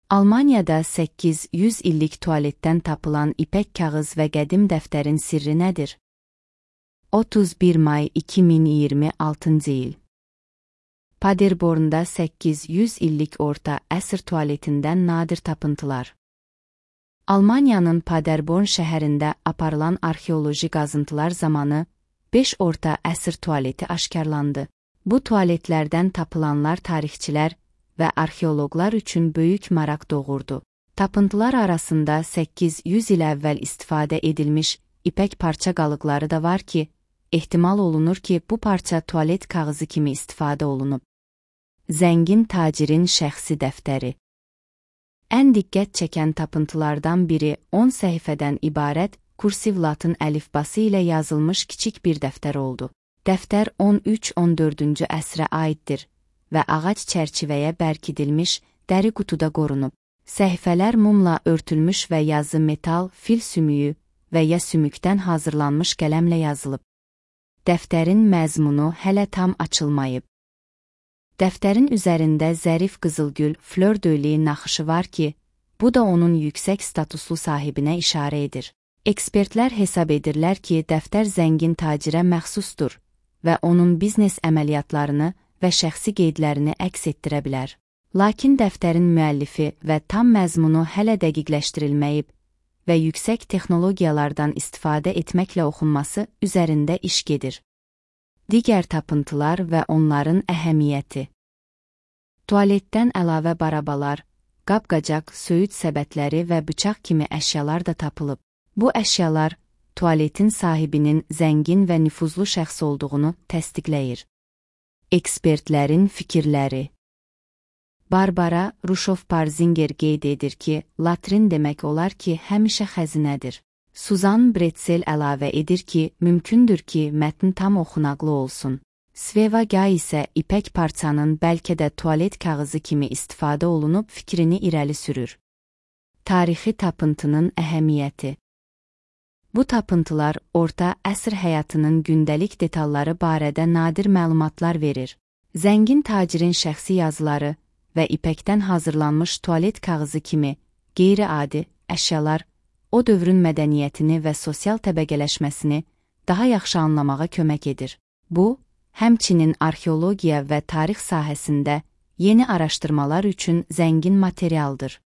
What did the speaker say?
Almaniyada 800 illik tualetdən tapılan ipək kağız və qədim dəftərin sirri nədir? 31 may 2026-cı il. Paderbornda 800 illik orta əsr tualetindən nadir tapıntılar. Almaniyanın Paderborn şəhərində aparılan arxeoloji qazıntılar zamanı 5 orta əsr tualeti aşkarlandı. Bu tualetlərdən tapılanlar tarixçilər və arxeoloqlar üçün böyük maraq doğurdu. Tapıntılar arasında 800 il əvvəl istifadə edilmiş ipək parça qalıqları da var ki, ehtimal olunur ki, bu parça tualet kağızı kimi istifadə olunub. Zəngin tacirin şəxsi dəftəri. Ən diqqət çəkən tapıntılardan biri 10 səhifədən ibarət kursiv latın əlifbası ilə yazılmış kiçik bir dəftər oldu. Dəftər 13-14-cü əsrə aiddir və ağac çərçivəyə bərkidilmiş dəri qutuda qorunub. Səhifələr mumla örtülmüş və yazı metal, fil sümüyü və ya sümükdən hazırlanmış qələmlə yazılıb. Dəftərin məzmunu hələ tam açılmayıb. Dəftərin üzərində zərif qızılgül, flör döyliyi naxışı var ki, bu da onun yüksək statuslu sahibinə işarə edir. Ekspertlər hesab edirlər ki, dəftər zəngin tacirə məxsusdur və onun biznes əməliyyatlarını və şəxsi qeydlərini əks etdirə bilər. Lakin dəftərin müəllifi və tam məzmunu hələ dəqiqləşdirilməyib və yüksək texnologiyalardan istifadə etməklə oxunması üzərində iş gedir. Digər tapıntılar və onların əhəmiyyəti. Tualetdən əlavə barabalar, qab-qacaq, söyüd səbətləri və bıçaq kimi əşyalar da tapılıb. Bu əşyalar tualetin sahibinin zəngin və nüfuzlu şəxs olduğunu təsdiqləyir. Ekspertlərin fikirləri. Barbara Rushoff-Parzinger qeyd edir ki, latrin demək olar ki, həmişə xəzinədir. Suzan Bretzel əlavə edir ki, mümkündür ki, mətn tam oxunaqlı olsun. Sveva Gay isə ipək parçanın bəlkə də tualet kağızı kimi istifadə olunub fikrini irəli sürür. Tarixi tapıntının əhəmiyyəti. Bu tapıntılar orta əsr həyatının gündəlik detalları barədə nadir məlumatlar verir. Zəngin tacirin şəxsi yazıları və ipəkdən hazırlanmış tualet kağızı kimi qeyri-adi əşyalar o dövrün mədəniyyətini və sosial təbəqələşməsini daha yaxşı anlamağa kömək edir. Bu, həmçinin arxeologiya və tarix sahəsində yeni araşdırmalar üçün zəngin materialdır.